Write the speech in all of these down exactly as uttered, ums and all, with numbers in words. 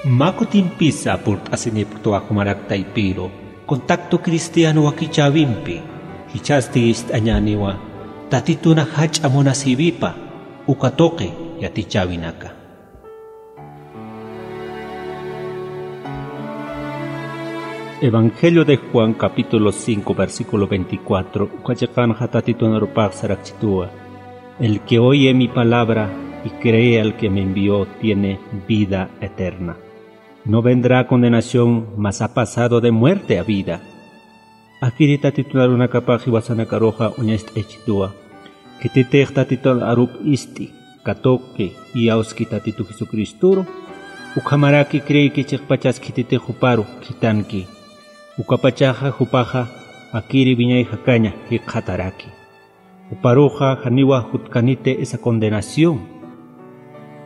Mä kutimpisa purt'asinipktwa jumarak taypiru, Contacto Cristiano wakichäwimpi, jichhasti ist'añäniwa Tatituna jach'a munasïwipa uka tuqi yatichäwinaka. Evangelio de Juan, capítulo cinco, versículo veinticuatro, uka chiqanxa Tatitun arupax sarakchituwa: El que oye mi palabra y cree al que me envió tiene vida eterna. No vendrá a condenación, mas ha pasado de muerte a vida. Akiri Tatitun arunakapax jiwasanakaruxa uñacht'aychituwa. Khititix Tatitun arup ist'i, katuqi, iyawski Tatitu Jesucristoru, ukhamaraki creeyki chiqpachas khititix juparu khitanki. Ukapachaxa jupaxa akiri wiñay jakaña jikxataraki. Juparuxa janiwa jutkaniti esa condenación.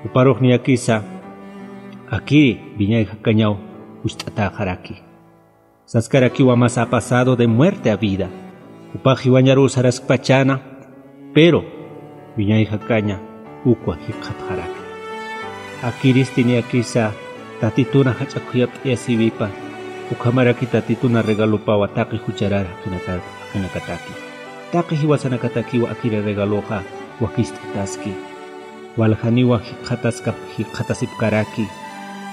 Juparux niyakisa akiri wiñay jakañaw jucht'atäxaraki. Saskarakiwa: Mas ha pasado de muerte a vida. Jupax jiwañaruw saraskpachäna, pero wiñay jakaña ukwa jikxatxaraki. Akiristi niyakisa Tatituna jach'a khuyapt'ayasïwipa, ukhamaraki Tatituna regalopawa taqi jucharar jaqinaka-, jaqinakataki. Taqi jiwasanakatakiwa akiri regaloxa wakicht'ataski. Waljaniwa jikxataskap-, jikxatasipkaraki.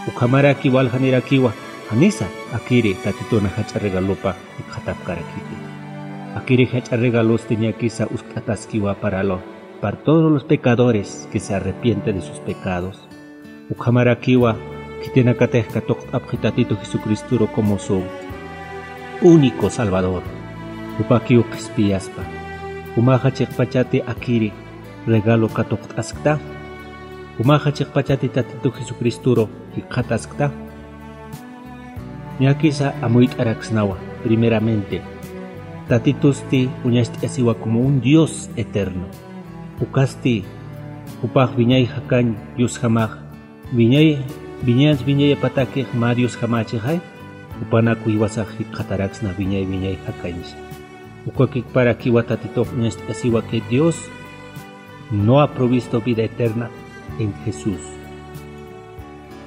Ukhamaraki waljanirakiwa janisa akiri Tatituna jach'a regalopa jikxatapkarakiti. Akiri jach'a regalosti niyakisa uskt'ataskiwa para lo-, para todos los pecadores que se arrepienten de sus pecados. Ukhamarakiwa khitinakatix katuqt'apxi Tatitu Jesucristoru como su único Salvador. Jupakiw qhispiyaspa. Jumaxa chiqpachati akiri regalo katuqt'askta. Jumaxa chiqpachati Tatitu Jesucristoru jikxataskta. Niyakisa amuyt'araksnawa, primeramente, Tatitusti uñacht'ayasiwa como un Dios eterno. Ukasti jupax wiñay jakañ Diosjamax, wiñay, wiñay, wiñaypatakix mä Diosjamächixay, jupanakw jiwasax jikxataraksna wiñay, wiñay jakañsa. Ukakiparakiwa Tatitux uñacht'ayasiwa que Dios no ha provisto vida eterna en Jesús.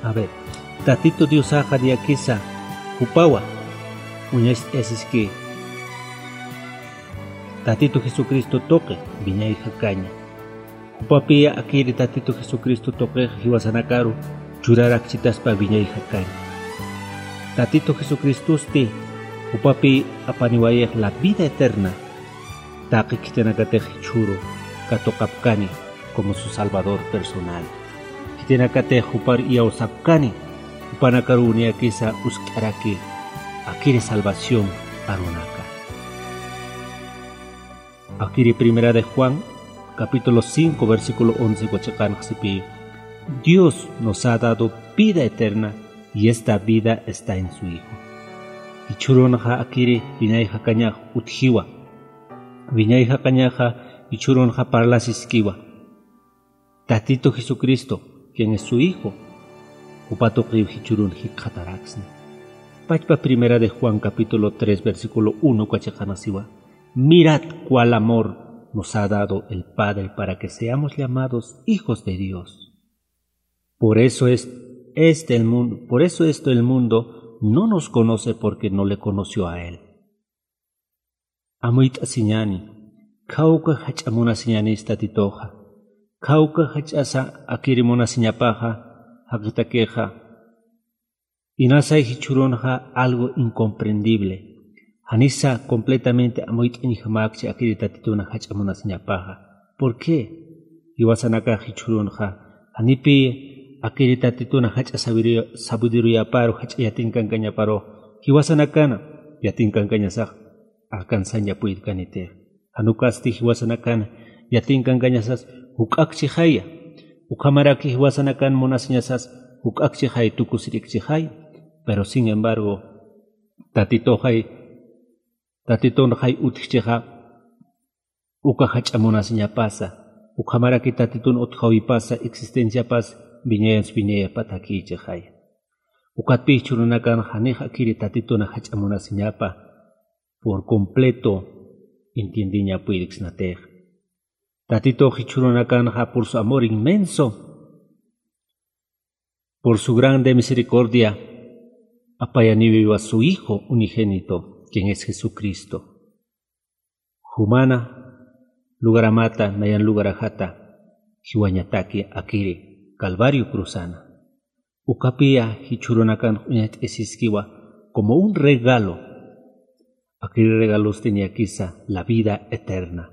A ver, Tatitu Diosaxa niyakisa jupawa uñacht'ayasiski Tatitu Jesucristo tuqi wiñay jakaña. Jupapiya akiri Tatitu Jesucristo tuqix jiwasanakaru churarakchitaspa wiñay jakaña. Tatitu Jesucristosti jupapi apaniwayix la vida eterna. Taqi khitinakatix jichhüru katuqapkani como su Salvador personal. Khitinakatix jupar iyawsapkani, jupanakaruw niyakisa uskt'araki akiri salvación arunaka. Akiri Primera de Juan, capítulo cinco, versículo once, uka chiqanxa sipï: Dios nos ha dado vida eterna y esta vida está en su Hijo. Jichhürunxa akiri wiñay jakañax utjiwa. Wiñay jakañaxa jichhürunxa parlasiskiwa. Tatitu Jesucristo, quien es su Hijo, jupa tuqiw jichhürun jikxataraksna. Pachpa Primera de Juan, capítulo tres, versículo uno, uka chiqanxa siwa: Mirad cuál amor nos ha dado el Padre para que seamos llamados hijos de Dios. Por eso es, este el mundo, por eso esto el mundo no nos conoce, porque no le conoció a él. Amuyt'asiñäni, khawka jach'a munasiñänis Tatituxa, khawka jach'asa akiri munasiñapaxa, jaqitakixa. Inasay jichhürunxa algo incomprendible. Janisa completamente amuyt'añjamäkchi akiri Tatituna jach'a munasiñapaxa. ¿Por qué? Jiwasanakax jichhürunxa janipï akiri Tatituna jach'a sabiduría-, sabiduriyäparu, jach'a yatinkankañaparux jiwasanakana yatinkankañasax alcanzaña puyirkaniti. Jan ukasti jiwasanakan yatinkankañasas juk'akchixaya. Ukhamaraki jiwasanakan munasiñasas juk'akchixay, tukusirikchixay. Pero sin embargo, Tatituxay, Tatitunxay utjchixa uka jach'a munasiñapasa, ukhamaraki Tatitun utjäwipasa existenciapas wiñayans wiñayapatakïchixay. Ukatpï jichhürunakan janix akiri Tatituna jach'a munasiñapa por completo entiendiña puyiriksnatix. Tatitux jichhürunakanxa por su amor inmenso Por su grande misericordia, apayaniwiwa su Hijo unigénito, quien es Jesucristo. Jumana lugaramata nayan lugarajata jiwañataki akiri Calvario cruzana. Ukapiya jichhurunakan uñacht'isiskiwa como un regalo. Akiri regalosti niyakisa la vida eterna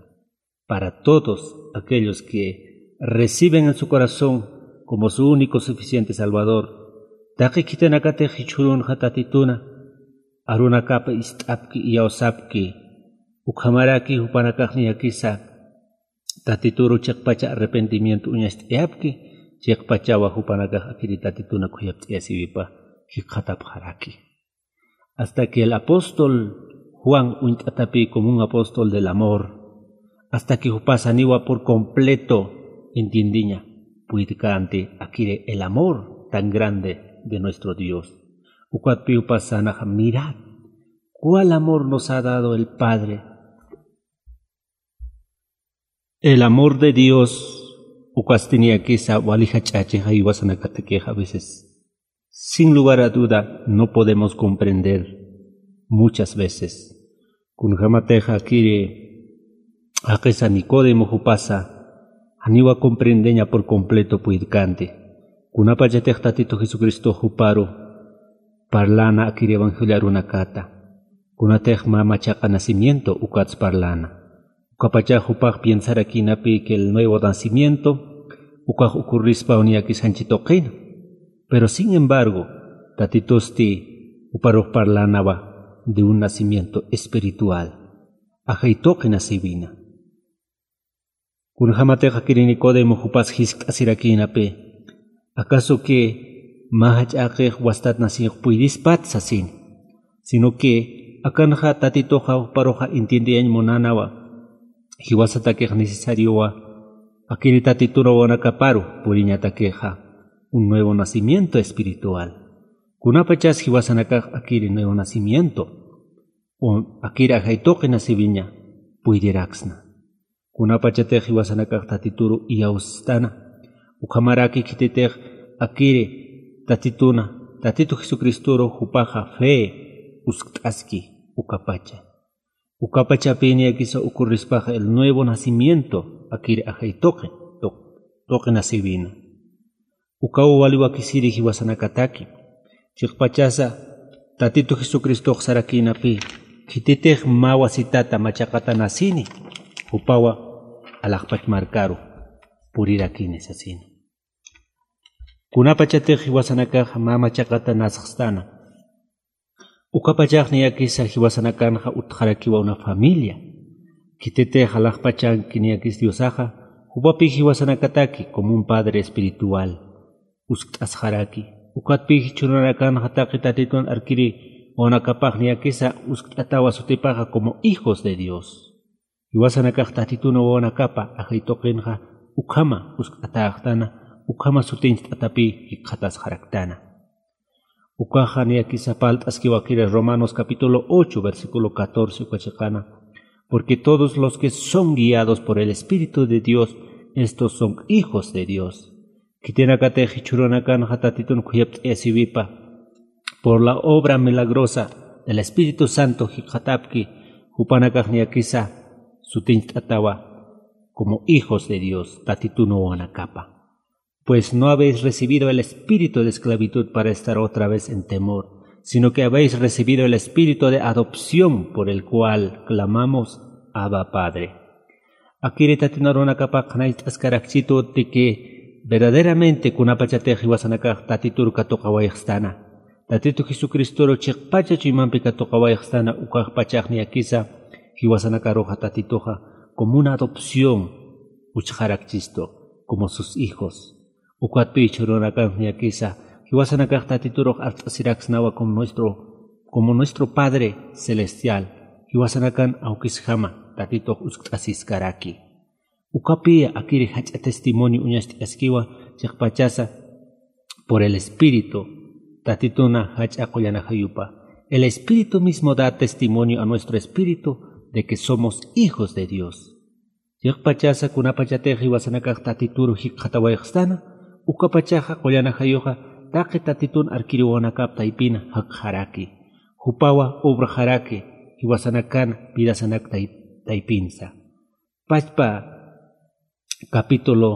para todos aquellos que reciben en su corazón como su único suficiente Salvador. Taqi khitinakatix jichhurunxa Tatituna arunakapa ist'apki, iyawsapki, ukhamaraki jupanakax niyakisa Tatituru chiqpacha arrepentimiento uñacht'ayapki, chiqpachawa jupanakax akiri Tatituna khuyapt'ayasiwipa jikxatapxaraki. Hasta que el apóstol Juan uñt'atapï como un apóstol del amor, hasta que jupasaniwa por completo entiendiña puydkänti akiri el amor tan grande de nuestro Dios. Ukatpï jupasanaxa: mirad cuál amor nos ha dado el Padre. El amor de Dios ukasti niyakisa wali jach'achixa jiwasanakatakixa a veces, sin lugar a duda, no podemos comprender muchas veces. Kunjämatix akiri jaqisa Nicodemo jupasa janiwa comprendeña por completo puydkänti. Kunapachatix Tatitu Jesucristo juparu parläna akiri evangelio arunakata, kunatix mä machaqa nacimiento ukats parläna. Ukapachax jupax piensarakïnapï que el nuevo nacimiento ukax ocurrispaw niyakis janchi tuqina. Pero sin embargo, Tatitusti juparux parlänawa de un nacimiento espiritual, ajay tuqi nacïwina. Kunjämatix akiri Nicodemo jupas jiskt'asirakïnapï, ¿acaso que mä jach'äqix wastat naciyux puydispat? sasina. Sino que akanxa Tatituxa juparuxa entiendeyañ munänawa, jiwasatakix necesariowa akiri Tatitun wawanakaparu puriñatakixa un nuevo nacimiento espiritual. Kunapachas jiwasanakax akiri nuevo nacimiento o akiri ajay tuqi nacïwiña puydiraksna. Kunapachatix jiwasanakax Tatituru iyawstana, ukhamaraki khititix akiri Tatituna, Tatitu Jesucristoru jupaxa fe uskt'aski ukapacha. Ukapachapï niyakisa ocurrispaxa el nuevo nacimiento akiri ajay tuqi, tuq-, tuqi nacïwina. Ukaw wali wakisiri jiwasanakataki. Chiqpachasa Tatitu Jesucristox sarakïnapï, khititix mä wasitata machaqata nacini, jupawa alaxpach markaru purirakini sasina. Kunapachatix jiwasanakax mä machaqata nasxstana, ukapachax niyakisa jiwasanakanxa utjarakiwa una familia. Khititix alaxpachanki niyakis Diosaxa, jupapï jiwasanakataki como un padre espiritual uskt'asxaraki. Ukatpï jichhürunakanxa taqi Tatitun arkiri wawanakapax niyakisa uskt'atawa sutipaxa como hijos de Dios. Jiwasanakax Tatitun wawanakapa ajay tuqinxa ukhama uskt'atäxtana, ukhama sutincht'atapï jikxatasxaraktana. Ukaxa niyakisa parlt'askiwa akiri Romanos capítulo ocho, versículo catorce, uka chiqana: porque todos los que son guiados por el Espíritu de Dios, estos son hijos de Dios. Khitinakatix jichhürunakanxa Tatitun khuyapt'ayasiwipa, por la obra milagrosa del Espíritu Santo jikxatapki, jupanakax niyakisa sutincht'atawa como hijos de Dios, Tatitun wawanakapa. Pues no habéis recibido el espíritu de esclavitud para estar otra vez en temor, sino que habéis recibido el espíritu de adopción por el cual clamamos: Abba, Padre. Akiri Tatitun arunakapaq qhanayt'askarakchitu de que verdaderamente kunapachatix jiwasanakax Tatitur katuqawayxstana, Tatitu Jesucristoru chiqpacha chuymampi katuqawayxstana, ukaxpachax niyakisa jiwasanakaruxa Tatituxa como una adopción uchxarakchistu, como sus hijos. Ukatpï jichhürunakanx niyakisa jiwasanakax Tatiturux art'asiraksnawa como nuestro, como nuestro Padre celestial, jiwasanakan awkisjama Tatitux uskt'asiskaraki. Ukapï akiri jach'a testimonio uñacht'askiwa chiqpachasa por el Espíritu, Tatituna jach'a qullan ajayupa. El Espíritu mismo da testimonio a nuestro espíritu de que somos hijos de Dios. Chiqpachasa kunapachatix jiwasanakax Tatituru jikxatawayxstana, ukapachaxa qullan ajayuxa taqi Tatitun arkiriwawanakap taypina jakxaraki, jupawa obraxaraki jiwasanakan vidasanak tay-, taypinsa. Pachpa capítulo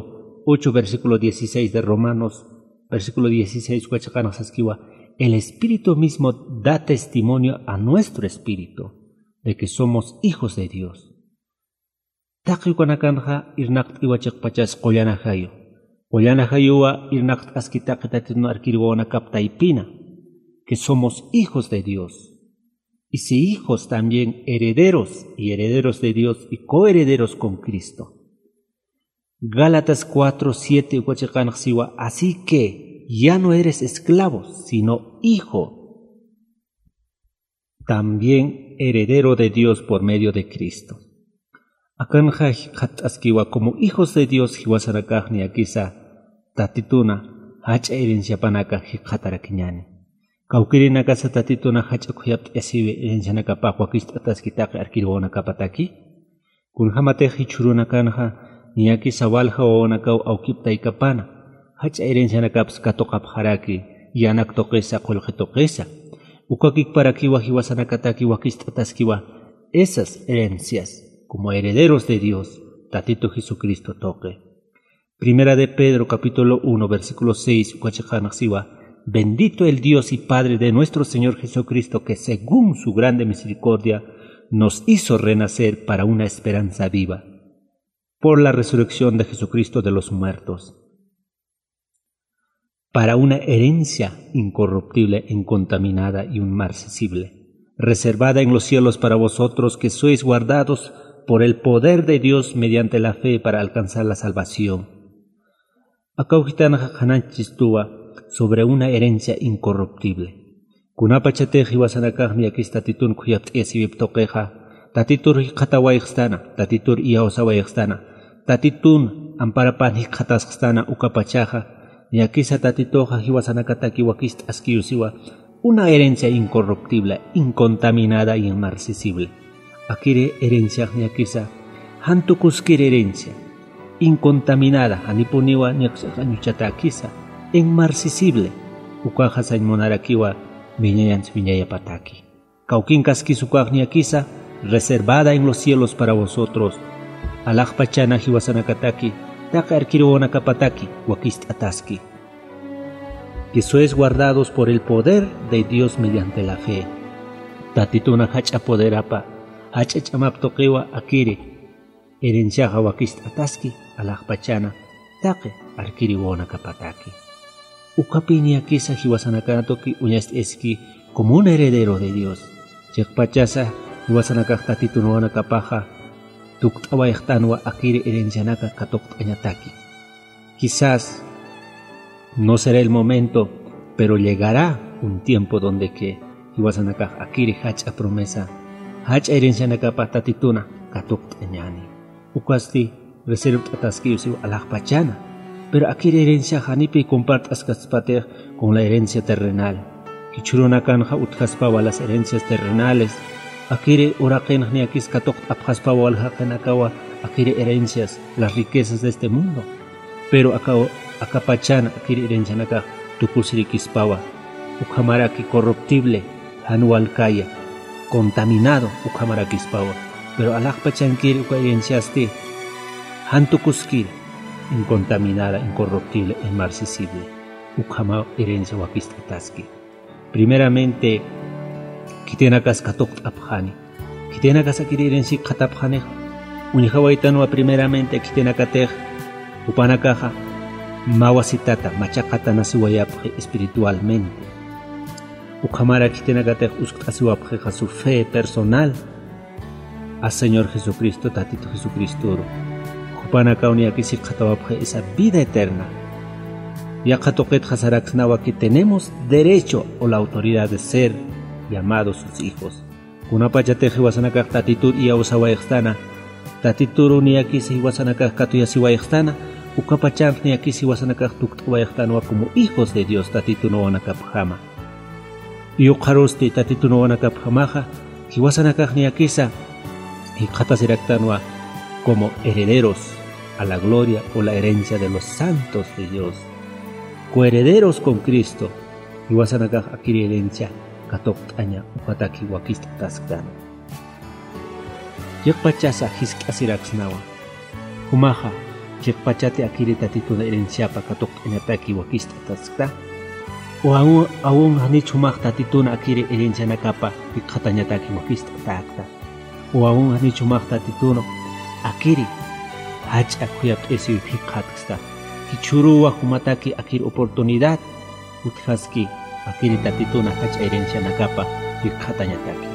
ocho, versículo dieciséis de Romanos, versículo dieciséis, uka chiqanx saskiwa: "El Espíritu mismo da testimonio a nuestro espíritu de que somos hijos de Dios". Taqi ukanakanxa irnaqt'iwa chiqpachas qullan ajayu. Qullan ajayuwa irnaqt'aski taqi Tatitun arkiriwawanakap taypina, que somos hijos de Dios. Y si hijos, también herederos, y herederos de Dios, y coherederos con Cristo. Gálatas cuatro siete uka chiqanx siwa: "Así que ya no eres esclavo, sino hijo. También heredero de Dios por medio de Cristo". Akanxa jikxatt'askiwa como hijos de Dios jiwasanakax niyakisa Tatituna jach'a herenciapanaka jikxatarakiñani. Kawkirinakasa Tatituna jach'a khuyapt'asiwi herencianakapax wakicht'ataski taqi arkiriwawanakapataki. Kunjamatix jichhürunakanxa niyakisa walja wawanakaw awkip taykapana jach'a herencianakaps katuqapxaraki, yanak tuqisa, qullqi tuqisa. Uka kikparakiwa jiwasanakataki wakicht'ataskiwa esas herencias como herederos de Dios, Tatitu Jesucristo tuqi. Primera de Pedro, capítulo uno, versículo seis, uka chiqanx siwa: "Bendito el Dios y Padre de nuestro Señor Jesucristo, que según su grande misericordia nos hizo renacer para una esperanza viva por la resurrección de Jesucristo de los muertos, para una herencia incorruptible, incontaminada y inmarcesible, reservada en los cielos para vosotros que sois guardados por el poder de Dios mediante la fe para alcanzar la salvación". Aka ujitanxa qhanañchistuwa sobre una herencia incorruptible. Kunapachatix jiwasanakax niyakis Tatitun khuyapt'ayasiwip tuqixa, Tatitur jikxatawayxstana, Tatitur iyawsawayxstana, Tatitun amparapan jikxatasxstana, ukapachaxa niyakisa Tatituxa jiwasanakataki wakicht'askiw siwa una herencia incorruptible, incontaminada y inmarcesible. Akiri herenciax niyakisa jan tukuskir herencia, incontaminada, janipuniwa niyakisa añuchatäkisa, inmarcesible, ukaxa sañ munarakiwa wiñañans wiñayapataki. Kawkinkaskis ukax niyakisa reservada en los cielos para vosotros, alaxpachana jiwasanakataki, taqi arkiriwawanakapataki wakicht'ataski, que sois guardados por el poder de Dios mediante la fe. Tatituna jach'a poderapa, jach'a ch'amap tuqiwa akiri herenciaxa wakicht'ataski, alaxpachana taqi arkiriwawanakapataki. Ukapï niyakisa jiwasanakan tuki uñast'aski como un heredero de Dios. Chiqpachasa jiwasanakax Tatitunawanakapaxa tukt'awayxtanwa akiri herencianaka katuqt'añataki. Quizás no será el momento, pero llegará un tiempo donde que jiwasanakax akiri jach'a promesa, jach'a herencianakapa Tatituna katuqt'añäni. Ukasti reservt'ataskiw siw alaxpachana. Pero akiri herencia janipï compart'askaspatix con la herencia terrenal. Jichhürunakanxa utjaspawa las herencias terrenales. Akiri uraqinx niyakis katuqt'apxaspawa waljaqinakawa akiri herencias, las riquezas de este mundo. Pero aka, aka pachana akiri herencianakax tukusirikispawa. Ukhamaraki corruptible, jan walkaya, contaminado ukhamarakispawa. Pero alaxpachankiri uka herenciasti jan tukuskiri, incontaminada, incorruptible, inmarcesible. Ukhama herencia wakicht'ataski. Primeramente, khitinakas katuqt'apxani. Khitinakas akiri herencia jikxatapxanix. Uñjawaytanwa primeramente khitinakatix, jupanakaxa mä wasitata, machaqata nasiwayapxi espiritualmente. Ukhamara khitinakatix uskt'asiwapxixa su fe personal a Señor Jesucristo, Tatitu Jesucristoru. Jupanakaw niyakis jikxatawapxi esa vida eterna. Yaqha tuqitxa saraksnawa que tenemos derecho o la autoridad de ser llamados sus hijos. Kunapachatix jiwasanakax Tatitur iyawsawayxstana, Tatituru niyakis jiwasanakax katuyasiwayxstana, ukapachanx niyakis jiwasanakax tukt'awayxtanwa como hijos de Dios Tatitunawanakapjama. Iyuqharusti Tatitunawanakapjamaxa, jiwasanakax niyakisa jikxatasiraktanwa como herederos a la gloria o la herencia de los santos de Dios. Coherederos con Cristo, jiwasanakax akiri herencia katuqt'aña ujataki wakist'atasktan. Chiqpachasa jisk'asiraksnawa. Jumaxa, chiqpachati akiri Tatituna herenciapa katuqt'añataki wakist'ataskta. O aun, aun janich jumax Tatituna akiri herencianakapa jikxatañataki wakist'atäkta. O aun janich jumax Tatituna akiri jach'a khuyapt'isiw jikxatksta. Jichhüruwa jumataki akiri oportunidad utjaski akiri Tatituna jach'a herencianakapa jikxatañataki.